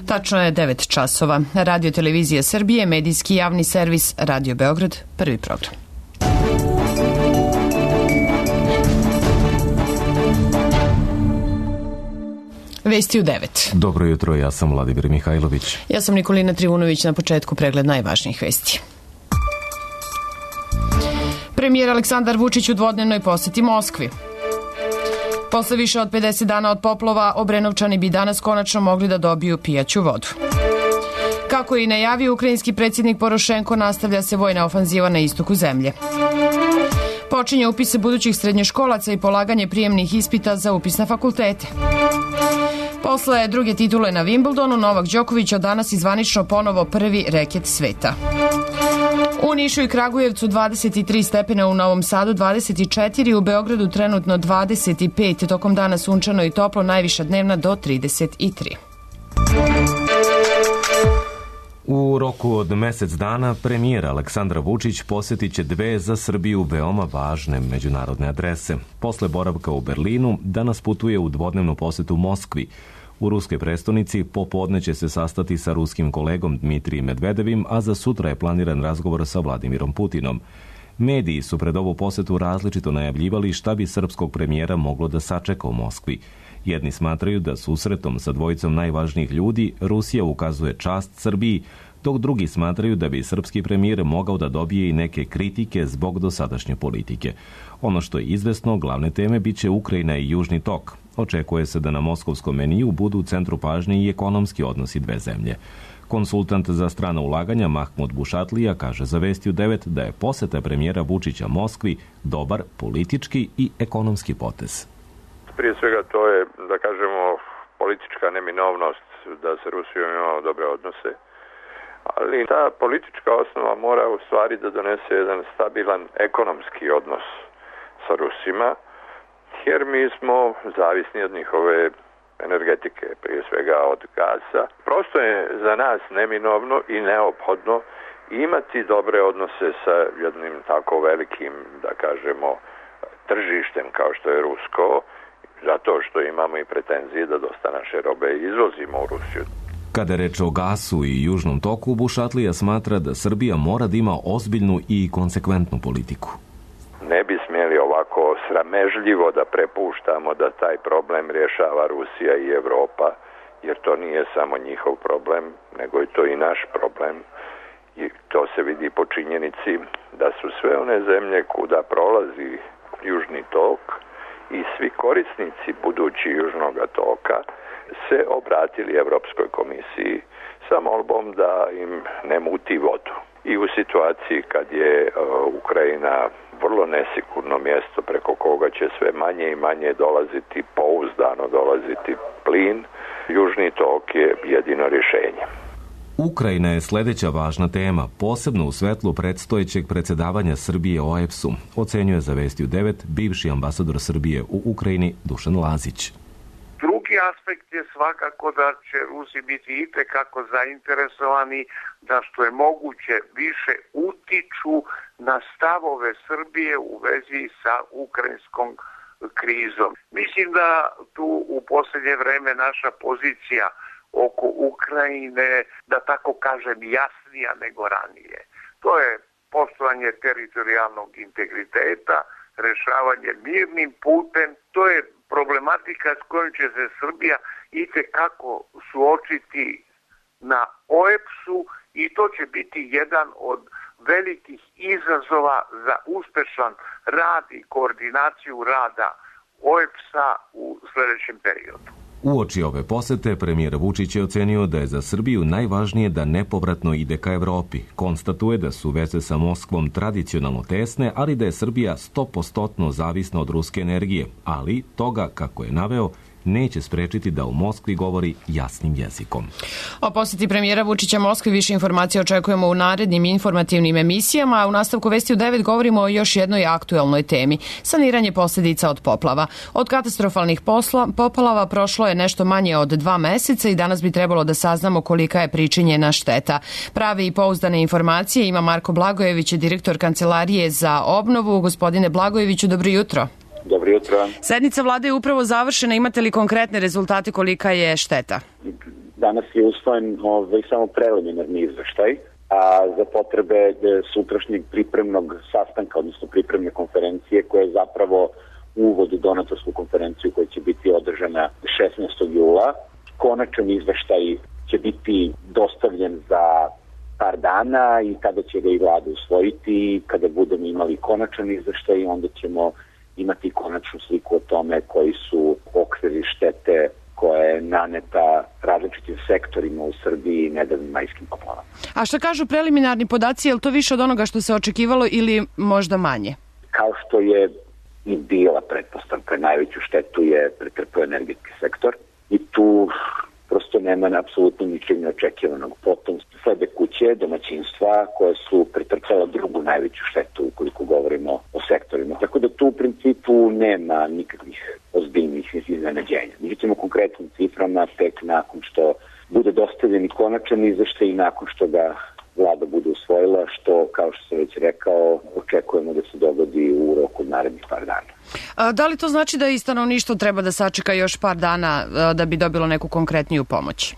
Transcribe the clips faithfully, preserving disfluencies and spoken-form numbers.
Tačno je devet časova. Radio Televizija Srbije, medijski javni servis Radio Beograd, prvi program. Vesti u devet. Dobro jutro, ja sam Vladimir Mihajlović. Ja sam Nikolina Trivunović, na početku pregled najvažnijih vesti. Premijer Aleksandar Vučić u dvodnevnoj poseti Moskvi. Posle više od pedeset dana od poplova, Obrenovčani bi danas konačno mogli da dobiju pijaću vodu. Kako je i najavio ukrajinski predsjednik Porošenko, nastavlja se vojna ofanziva na istoku zemlje. Počinje upise budućih srednjoškolaca i polaganje prijemnih ispita za upis na fakultete. Posle druge titule na Wimbledonu, Novak Đoković od danas izvanično ponovo prvi reket sveta. U Nišu i Kragujevcu dvadeset tri stepena, u Novom Sadu dvadeset četiri, u Beogradu trenutno dvadeset pet, tokom dana sunčano i toplo, najviša dnevna do trideset tri. U roku od mesec dana premijer Aleksandar Vučić posjetit će dve za Srbiju veoma važne međunarodne adrese. Posle boravka u Berlinu, danas putuje u dvodnevnu posetu Moskvi. U ruskoj prestonici popodne će se sastati sa ruskim kolegom Dmitrijem Medvedevim, a za sutra je planiran razgovor sa Vladimirom Putinom. Mediji su pred ovu posetu različito najavljivali šta bi srpskog premijera moglo da sačeka u Moskvi. Jedni smatraju da susretom sa dvojicom najvažnijih ljudi Rusija ukazuje čast Srbiji, dok drugi smatraju da bi srpski premijer mogao da dobije i neke kritike zbog dosadašnje politike. Ono što je izvesno, glavne teme biće Ukrajina i Južni tok. Očekuje se da na moskovskom meniju budu u centru pažnje i ekonomski odnosi dve zemlje. Konsultant za strana ulaganja Mahmud Bušatlija kaže za Vesti u devet da je poseta premijera Vučića Moskvi dobar politički i ekonomski potez. Prije svega to je, da kažemo, politička neminovnost da se Rusijom imamo dobre odnose, ali ta politička osnova mora u stvari da donese jedan stabilan ekonomski odnos sa Rusima, jer mi smo zavisni od njihove energetike, prije svega od gasa. Prosto je za nas neminovno i neophodno imati dobre odnose sa jednim tako velikim, da kažemo, tržištem kao što je rusko, zato što imamo i pretenzije da dosta naše robe izvozimo u Rusiju. Kada je reč o gasu i Južnom toku, Bušatlija smatra da Srbija mora da ima ozbiljnu i konsekventnu politiku. Ne bi smjeli ovako sramežljivo da prepuštamo da taj problem rješava Rusija i Evropa, jer to nije samo njihov problem, nego je to i naš problem. I to se vidi po činjenici da su sve one zemlje kuda prolazi Južni tok i svi korisnici budući Južnog toka se obratili Evropskoj komisiji sa molbom da im ne muti vodu. I u situaciji kad je uh, Ukrajina vrlo nesigurno mjesto preko koga će sve manje i manje dolaziti, pouzdano dolaziti plin, Južni tok je jedino rješenje. Ukrajina je sljedeća važna tema, posebno u svetlu predstojećeg predsjedavanja Srbije o E P S-u, ocenjuje za Vesti u devet bivši ambasador Srbije u Ukrajini Dušan Lazić. Drugi aspekt je svakako da će Rusi biti itekako zainteresovani da što je moguće više utiču na stavove Srbije u vezi sa ukrajinskom krizom. Mislim da tu u posljednje vreme naša pozicija oko Ukrajine, da tako kažem, jasnija nego ranije. To je poštovanje teritorijalnog integriteta, rješavanje mirnim putem, to je problematika s kojom će se Srbija itekako suočiti na O E P S-u i to će biti jedan od velikih izazova za uspešan rad i koordinaciju rada O E P S-a u sljedećem periodu. Uoči ove posete, premijer Vučić je ocenio da je za Srbiju najvažnije da nepovratno ide ka Evropi. Konstatuje da su veze sa Moskvom tradicionalno tesne, ali da je Srbija sto posto zavisna od ruske energije. Ali toga, kako je naveo, neće sprečiti da u Moskvi govori jasnim jezikom. O posjeti premijera Vučića Moskvi više informacija očekujemo u narednim informativnim emisijama, a u nastavku Vesti u devet govorimo o još jednoj aktuelnoj temi – saniranje posljedica od poplava. Od katastrofalnih posla, poplava prošlo je nešto manje od dva meseca i danas bi trebalo da saznamo kolika je pričinjena šteta. Prave i pouzdane informacije ima Marko Blagojević, direktor Kancelarije za obnovu. Gospodine Blagojeviću, dobro jutro. Dobro jutro. Sednica vlade je upravo završena. Imate li konkretne rezultate kolika je šteta? danas je usvojen ovaj, samo preliminarni izveštaj, a za potrebe sutrašnjeg pripremnog sastanka, odnosno pripremne konferencije, koja je zapravo uvod u donatorsku konferenciju koja će biti održana šesnaestog jula. Konačan izveštaj će biti dostavljen za par dana i kada će ga i vlada usvojiti. Kada budemo imali konačan izveštaj, onda ćemo imati konačnu sliku o tome koji su okviri štete koja je naneta različitim sektorima u Srbiji nedavnim majskim poplavama. A šta kažu preliminarni podaci, je li to više od onoga što se očekivalo ili možda manje? Kao što je i bila pretpostavka, najveću štetu je pretrpeo energetski sektor i tu prosto nema apsolutno ničeg neočekivanog. Potom slede kuće, domaćinstva koje su pretrpela drugu najveću štetu ukoliko govorimo o sektorima. Tako da tu u principu nema nikakvih ozbiljnih iznenađenja. Mi ćemo konkretnim ciframa tek nakon što bude dostavljen i konačan izveštaj i nakon što ga vlada bude usvojila, što, kao što sam već rekao, očekujemo da se dogodi u roku narednih par dana. A, da li to znači da i stanovništvo treba da sačeka još par dana a, da bi dobilo neku konkretniju pomoć?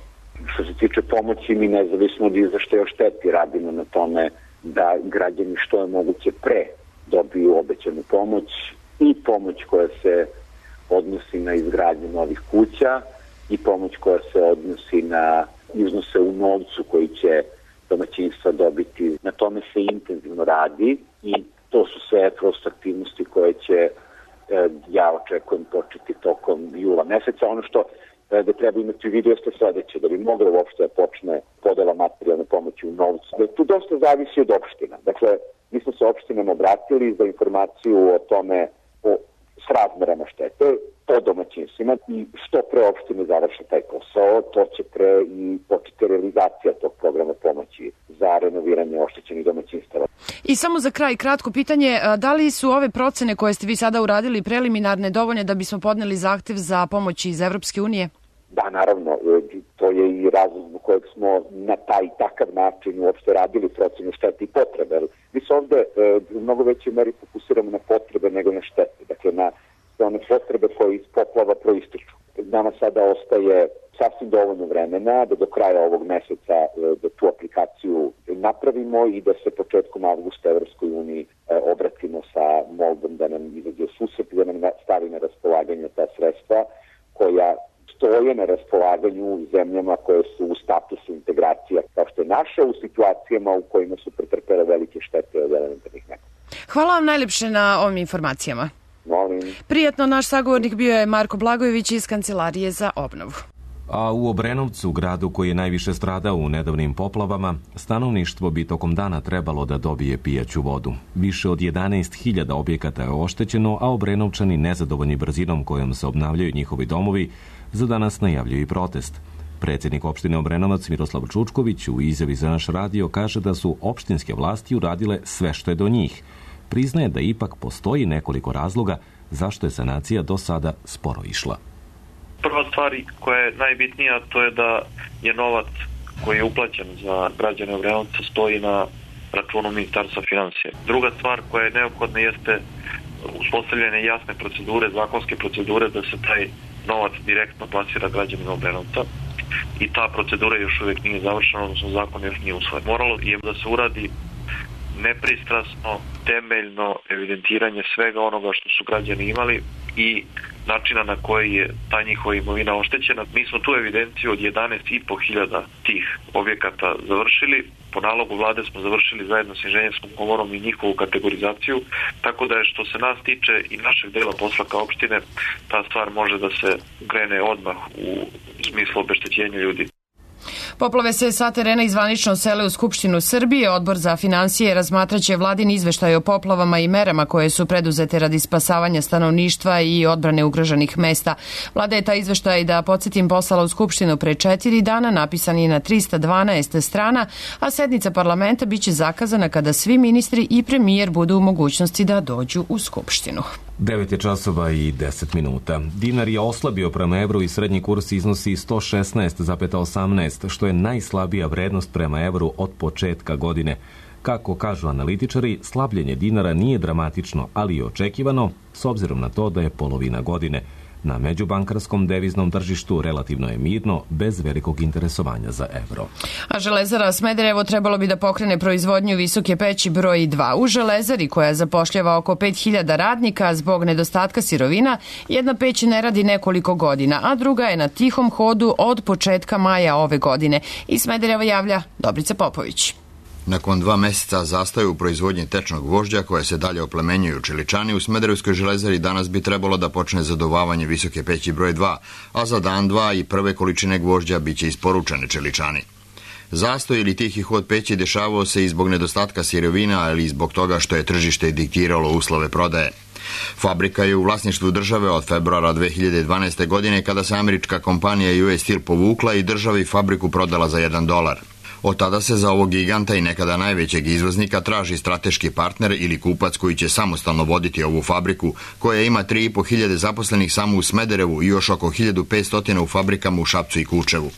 Što se tiče pomoći, mi nezavisno od izveštaja o šteti radimo na tome da građani što je moguće pre dobiju obećanu pomoć i pomoć koja se odnosi na izgradnju novih kuća i pomoć koja se odnosi na iznose u novcu koji će domaćinstva dobiti. Na tome se intenzivno radi i to su sve prosto aktivnosti koje će, ja očekujem, početi tokom jula meseca. Ono što da treba imati u vidu jeste sledeće, da bi mogla uopšte da počne podela materijalne pomoći u novcu. Tu dosta zavisi od opština. Dakle, mi smo se opštinama obratili za informaciju o tome, o srazmerama štete po domaćinstvima i što pre opštine završe taj posao, to će pre i početi realizacija tog programa pomoći za renoviranje oštećenih domaćinstava. I samo za kraj, kratko pitanje, da li su ove procene koje ste vi sada uradili preliminarne dovoljne da bismo podneli zahtev za pomoć iz Evropske unije? Da, naravno, to je i razlog zbog kojeg smo na taj takav način uopšte radili procenu štete i potrebe. Mi se ovde u mnogo većoj meri fokusiramo na potrebe nego na štete, dakle na one potrebe koje iz poplava proističu. Nama sada ostaje sasvim dovoljno vremena da do kraja ovog meseca da tu aplikaciju napravimo i da se početkom avgusta Evropskoj uniji obratimo sa molbom da nam izađe u susret, da nam stavi na raspolaganje ta sredstva koja stoje na raspolaganju zemljama koje su u statusu integracija, kao što je naša, u situacijama u kojima su pretrpele velike štete od elementarnih nepogoda. Hvala vam najlepše na ovim informacijama. Molim. Prijatno, naš sagovornik bio je Marko Blagojević iz Kancelarije za obnovu. A u Obrenovcu, gradu koji je najviše stradao u nedavnim poplavama, stanovništvo bi tokom dana trebalo da dobije pijaću vodu. Više od jedanaest hiljada objekata je oštećeno, a Obrenovčani, nezadovoljni brzinom kojom se obnavljaju njihovi domovi, za danas najavljuju i protest. Predsjednik opštine Obrenovac Miroslav Čučković u izjavi za naš radio kaže da su opštinske vlasti uradile sve što je do njih. Priznaje da ipak postoji nekoliko razloga zašto je sanacija do sada sporo išla. Prva stvar koja je najbitnija, to je da je novac koji je uplaćen za građane Obrenovca stoji na računu Ministarstva finansija. Druga stvar koja je neophodna jeste uspostavljene jasne procedure, zakonske procedure da se taj novac direktno plasira građanima Obrenovca i ta procedura još uvijek nije završena, odnosno zakon još nije usvojen. Moralo je da se uradi nepristrasno, temeljno evidentiranje svega onoga što su građani imali i načina na koji je ta njihova imovina oštećena. Mi smo tu evidenciju od jedanaest i po hiljada tih objekata završili. Po nalogu vlade smo završili zajedno s inženjerskom komorom i njihovu kategorizaciju, tako da je što se nas tiče i našeg dela posla kao opštine, ta stvar može da se krene odmah u smislu obeštećenja ljudi. Poplave se sa terena izvanično sele u Skupštinu Srbije. Odbor za finansije razmatraće vladin izveštaj o poplavama i merama koje su preduzete radi spasavanja stanovništva i odbrane ugroženih mesta. Vlada je taj izveštaj, da podsjetim, poslala u Skupštinu pre četiri dana, napisan je na trista dvanaest strana, a sednica parlamenta biće zakazana kada svi ministri i premijer budu u mogućnosti da dođu u Skupštinu. devet je časova i deset minuta. Dinar je oslabio prema evru i srednji kurs iznosi sto šesnaest zarez osamnaest, što je najslabija vrednost prema evru od početka godine. Kako kažu analitičari, slabljenje dinara nije dramatično, ali i očekivano, s obzirom na to da je polovina godine. Na međubankarskom deviznom tržištu relativno je mirno, bez velikog interesovanja za evro. A Železara Smederevo trebalo bi da pokrene proizvodnju visoke peći broj dva. U Železari, koja zapošljava oko pet hiljada radnika zbog nedostatka sirovina, jedna peć ne radi nekoliko godina, a druga je na tihom hodu od početka maja ove godine. Iz Smedereva javlja Dobrica Popović. Nakon dva meseca zastoja u proizvodnji tečnog gvožđa, koje se dalje oplemenjuju čeličani, u Smederevskoj železari danas bi trebalo da počne zaduvavanje visoke peći broj dva, a za dan dva i prve količine gvožđa biće isporučene čeličani. Zastoj ili tihi hod peći dešavao se i zbog nedostatka sirovina, ali i zbog toga što je tržište diktiralo uslove prodaje. Fabrika je u vlasništvu države od februara dve hiljade dvanaeste. godine, kada se američka kompanija U S Steel povukla i državi fabriku prodala za jedan dolar. Od tada se za ovog giganta i nekada najvećeg izvoznika traži strateški partner ili kupac koji će samostalno voditi ovu fabriku, koja ima tri i po hiljade zaposlenih samo u Smederevu i još oko hiljadu petsto u fabrikama u Šapcu i Kučevu.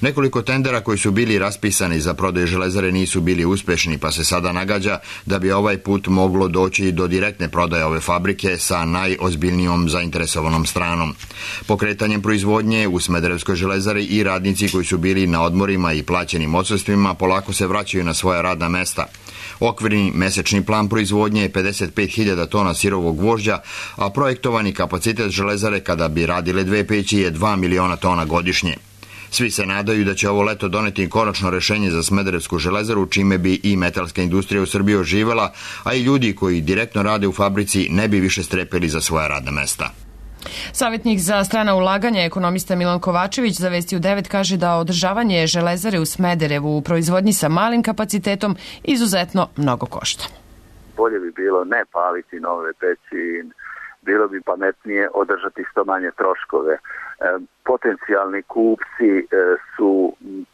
Nekoliko tendera koji su bili raspisani za prodaju železare nisu bili uspešni, pa se sada nagađa da bi ovaj put moglo doći do direktne prodaje ove fabrike sa najozbiljnijom zainteresovanom stranom. Pokretanjem proizvodnje u Smederevskoj železari i radnici koji su bili na odmorima i plaćenim odsustvima polako se vraćaju na svoja radna mesta. Okvirni mesečni plan proizvodnje je pedeset pet hiljada tona sirovog gvožđa, a projektovani kapacitet železare kada bi radile dve peći je dva miliona tona godišnje. Svi se nadaju da će ovo leto doneti konačno rešenje za Smederevsku železaru, čime bi i metalska industrija u Srbiji oživela, a i ljudi koji direktno rade u fabrici ne bi više strepeli za svoja radna mesta. Savjetnik za strana ulaganja, ekonomista Milan Kovačević, za Vesti u devet kaže da održavanje železare u Smederevu u proizvodnji sa malim kapacitetom izuzetno mnogo košta. Bolje bi bilo ne paliti nove peći, bilo bi pametnije održati što manje troškove. E, potencijalni kupci e, su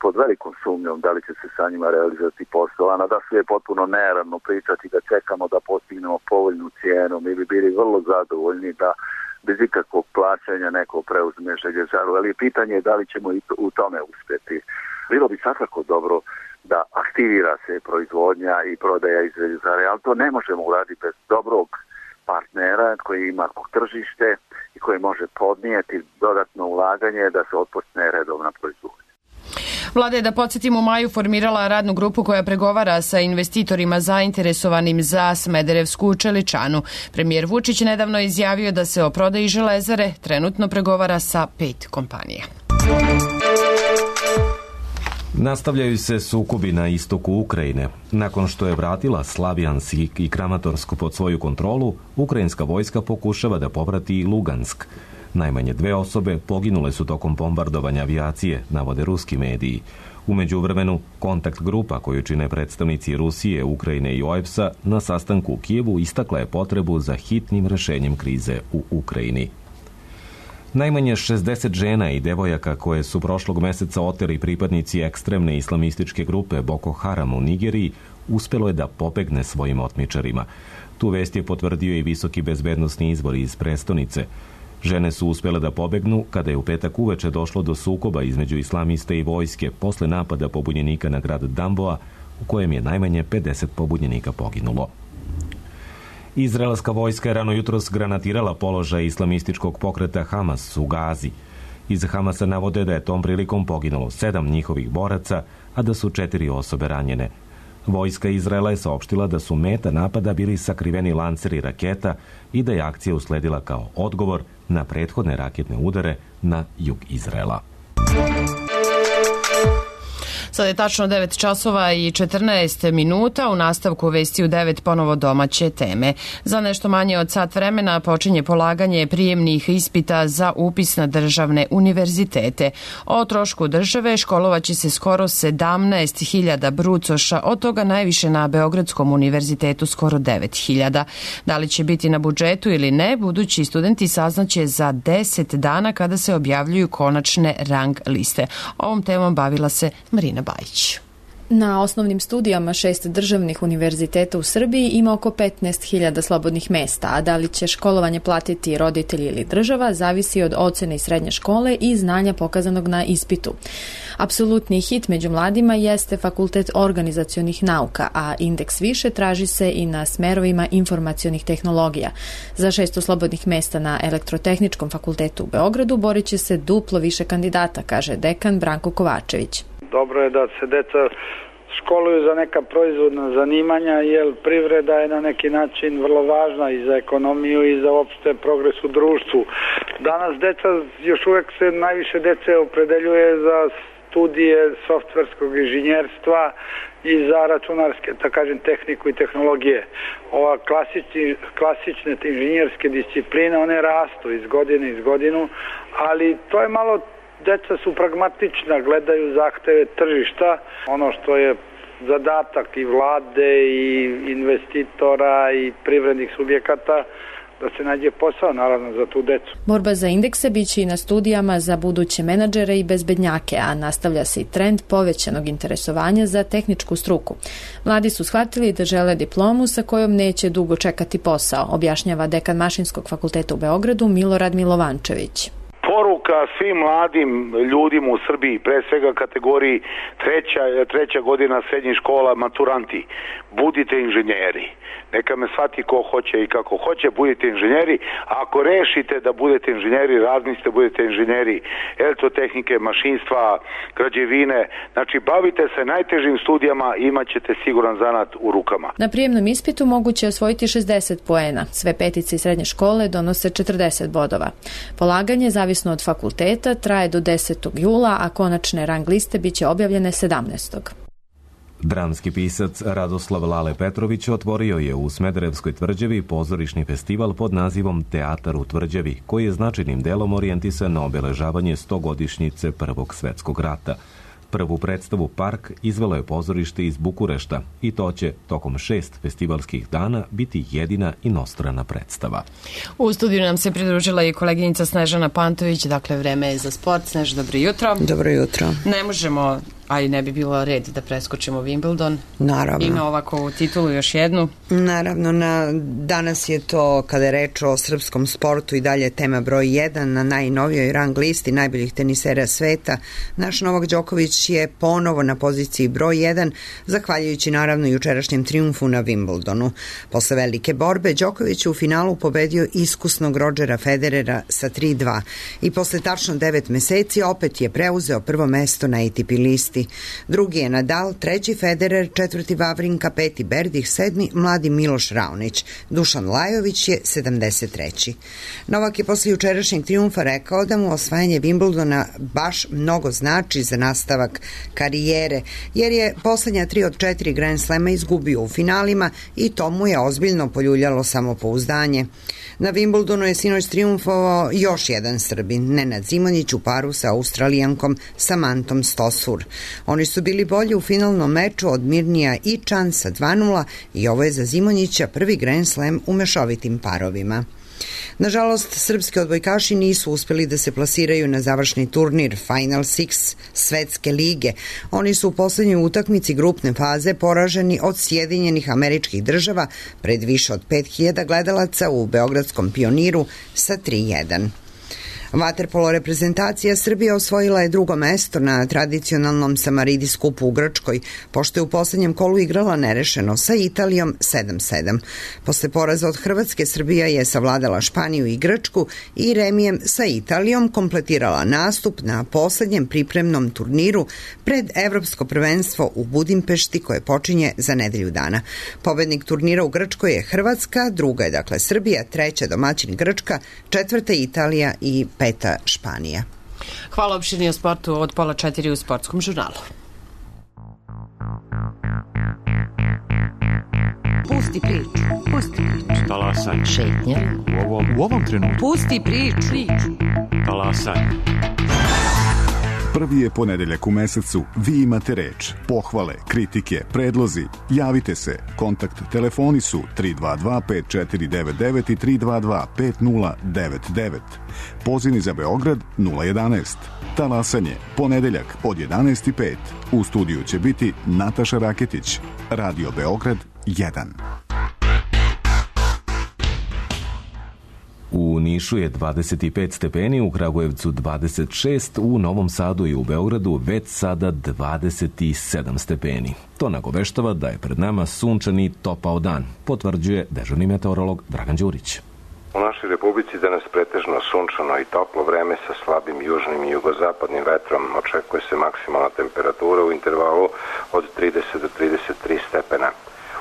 pod velikom sumnjom da li će se sa njima realizovati posao, a da su je potpuno neravno pričati da čekamo da postignemo povoljnu cijenu. Mi bi bili vrlo zadovoljni da bez ikakvog plaćanja neko preuzme željezaru, ali pitanje je da li ćemo i u tome uspjeti. Bilo bi svakako dobro da aktivira se proizvodnja i prodaja iz željezare, ali to ne možemo uraditi bez dobrog partnera koji ima tržište i koji može podnijeti dodatno ulaganje da se otpočne redovna proizvodnja. Vlada je, da podsjetim, u maju formirala radnu grupu koja pregovara sa investitorima zainteresovanim za Smederevsku čeličanu. Premijer Vučić nedavno izjavio da se o prodaji železare trenutno pregovara sa pet kompanija. Nastavljaju se sukobi na istoku Ukrajine. Nakon što je vratila Slavjansk i Kramatorsk pod svoju kontrolu, ukrajinska vojska pokušava da povrati i Lugansk. Najmanje dve osobe poginule su tokom bombardovanja avijacije, navode ruski mediji. U međuvremenu, kontakt grupa koju čine predstavnici Rusije, Ukrajine i O E B S-a na sastanku u Kijevu istakla je potrebu za hitnim rešenjem krize u Ukrajini. Najmanje šezdeset žena i devojaka koje su prošlog meseca oteli pripadnici ekstremne islamističke grupe Boko Haram u Nigeriji uspelo je da pobegne svojim otmičarima. Tu vest je potvrdio i visoki bezbednosni izvor iz prestonice. Žene su uspjele da pobegnu kada je u petak uveče došlo do sukoba između islamiste i vojske posle napada pobunjenika na grad Damboa, u kojem je najmanje pedeset pobunjenika poginulo. Izraelska vojska je rano jutros granatirala položaj islamističkog pokreta Hamas u Gazi. Iz Hamasa navode da je tom prilikom poginulo sedam njihovih boraca, a da su četiri osobe ranjene. Vojska Izraela je saopštila da su meta napada bili sakriveni lanceri raketa i da je akcija usledila kao odgovor na prethodne raketne udare na jug Izraela. Sada je tačno devet časova i četrnaest minuta. U nastavku Vesti u devet ponovo domaće teme. Za nešto manje od sat vremena počinje polaganje prijemnih ispita za upis na državne univerzitete. O trošku države školovaće se skoro sedamnaest hiljada brucoša, od toga najviše na Beogradskom univerzitetu skoro devet hiljada. Da li će biti na budžetu ili ne, budući studenti saznaće za deset dana kada se objavljuju konačne rang liste. Ovom temom bavila se Marina Bajić. Na osnovnim studijama šest državnih univerziteta u Srbiji ima oko petnaest hiljada slobodnih mesta, a da li će školovanje platiti roditelji ili država zavisi od ocene iz srednje škole i znanja pokazanog na ispitu. Apsolutni hit među mladima jeste Fakultet organizacionih nauka, a indeks više traži se i na smerovima informacionih tehnologija. Za šesto slobodnih mesta na Elektrotehničkom fakultetu u Beogradu borit će se duplo više kandidata, kaže dekan Branko Kovačević. Dobro je da se deca školuju za neka proizvodna zanimanja, jer privreda je na neki način vrlo važna i za ekonomiju i za opšte progres u društvu. Danas deca, još uvek se najviše dece opredeljuje za studije softverskog inženjerstva i za računarske, da kažem, tehniku i tehnologije. Ova klasični, klasične inženjerske discipline, one rastu iz godine iz godinu, ali to je malo, deca su pragmatična, gledaju zahteve tržišta, ono što je zadatak i vlade i investitora i privrednih subjekata, da se nađe posao, naravno, za tu decu. Borba za indekse biće i na studijama za buduće menadžere i bezbednjake, a nastavlja se i trend povećanog interesovanja za tehničku struku. Mladi su shvatili da žele diplomu sa kojom neće dugo čekati posao, objašnjava dekan Mašinskog fakulteta u Beogradu Milorad Milovančević. Poruka svim mladim ljudima u Srbiji, pre svega kategoriji treća, treća godina srednjih škola, maturanti, budite inženjeri. Neka me shvati ko hoće i kako hoće, budite inženjeri. Ako rešite da budete inženjeri, razmislite da budete inženjeri elektrotehnike, mašinstva, građevine, znači bavite se najtežim studijama i imat ćete siguran zanat u rukama. Na prijemnom ispitu moguće je osvojiti šezdeset poena. Sve petice iz srednje škole donose četrdeset bodova. Polaganje, zavisno od fakulteta, traje do desetog jula, a konačne rang liste biće objavljene sedamnaestog Dramski pisac Radoslav Lale Petrović otvorio je u Smederevskoj tvrđavi pozorišni festival pod nazivom Teatar u tvrđavi, koji je značajnim delom orijentisan na obeležavanje stogodišnjice Prvog svetskog rata. Prvu predstavu Park izvelo je pozorište iz Bukurešta i to će tokom šest festivalskih dana biti jedina inostrana predstava. U studiju nam se pridružila i koleginica Snežana Pantović, dakle vreme je za sport. Snež, dobro jutro. Dobro jutro. Ne možemo, a i ne bi bilo red da preskočimo Wimbledon. Naravno. Ima ovako titulu još jednu. Naravno, na, danas je to, kada je reč o srpskom sportu, i dalje tema broj jedan na najnovijoj rang listi najboljih tenisera sveta. Naš Novak Đoković je ponovo na poziciji broj jedan, zahvaljujući naravno jučerašnjem trijumfu na Wimbledonu. Posle velike borbe, Đoković u finalu pobedio iskusnog Rodgera Federera sa tri dva i posle tačno devet meseci opet je preuzeo prvo mesto na A T P listi. Drugi je Nadal, treći Federer, četvrti Vavrinka, peti Berdih, sedmi mladi Miloš Raonić. Dušan Lajović je sedamdeset treći Novak je posle jučerašnjeg trijumfa rekao da mu osvajanje Wimbledona baš mnogo znači za nastavak karijere, jer je poslednja tri od četiri Grand Slema izgubio u finalima i to mu je ozbiljno poljuljalo samopouzdanje. Na Wimbledonu je sinoć trijumfovao još jedan Srbin, Nenad Zimonjić u paru sa Australijankom Samantom Stosur. Oni su bili bolji u finalnom meču od Mirnija i Čan sa dva nula i ovo je za Zimonjića prvi Grand Slam u mešovitim parovima. Nažalost, srpski odbojkaši nisu uspeli da se plasiraju na završni turnir Final Six Svetske lige. Oni su u poslednjoj utakmici grupne faze poraženi od Sjedinjenih Američkih Država pred više od pet hiljada gledalaca u Beogradskom Pioniru sa tri jedan. Vaterpolo reprezentacija Srbije osvojila je drugo mesto na tradicionalnom Samaridi skupu u Grčkoj, pošto je u poslednjem kolu igrala nerešeno sa Italijom sedam sedam. Posle poraza od Hrvatske, Srbija je savladala Španiju i Grčku i remijem sa Italijom kompletirala nastup na poslednjem pripremnom turniru pred Evropsko prvenstvo u Budimpešti koje počinje za nedelju dana. Pobednik turnira u Grčkoj je Hrvatska, druga je dakle Srbija, treća domaćin Grčka, četvrta Italija i peta Španija. Hvala, opširnije o sportu od pola četiri u Sportskom žurnalu. Pusti priču. Pusti priču. Talasaj. Šetnja. U ovom, u ovom trenutku. Pusti priču. priču. Talasaj. Prvi je ponedeljak u mesecu, vi imate reč, pohvale, kritike, predlozi, javite se, kontakt telefoni su tri dva dva pet četiri devet devet i tri dva dva pet nula devet devet, pozivni za Beograd nula jedanaest, talasanje, ponedeljak od jedanaest i pet, u studiju će biti Nataša Raketić, Radio Beograd jedan. U Nišu je dvadeset pet stepeni, u Kragujevcu dvadeset šest, u Novom Sadu i u Beogradu već sada dvadeset sedam stepeni. To nagoveštava da je pred nama sunčan i topao dan, potvrđuje dežurni meteorolog Dragan Đurić. U našoj republici danas pretežno sunčano i toplo vreme sa slabim južnim i jugozapadnim vetrom. Očekuje se maksimalna temperatura u intervalu od trideset do trideset tri stepena.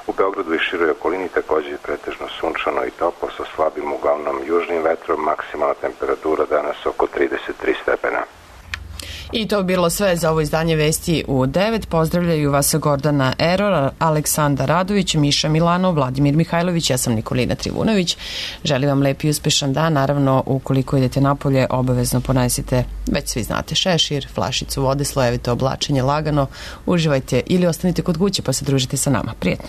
U Beogradu i široj okolini također je pretežno sunčano i toplo sa slabim uglavnom južnim vetrom. Maksimalna temperatura danas oko trideset tri stepena. I to bi bilo sve za ovo izdanje Vesti u devet. Pozdravljaju vas Gordana Eror, Aleksandar Radović, Miša Milanov, Vladimir Mihajlović, ja sam Nikolina Trivunović. Želim vam lep i uspešan dan. Naravno, ukoliko idete napolje, obavezno ponesite, već svi znate, šešir, flašicu vode, slojevito oblačenje lagano. Uživajte ili ostanite kod kuće pa se družite sa nama. Prijetno.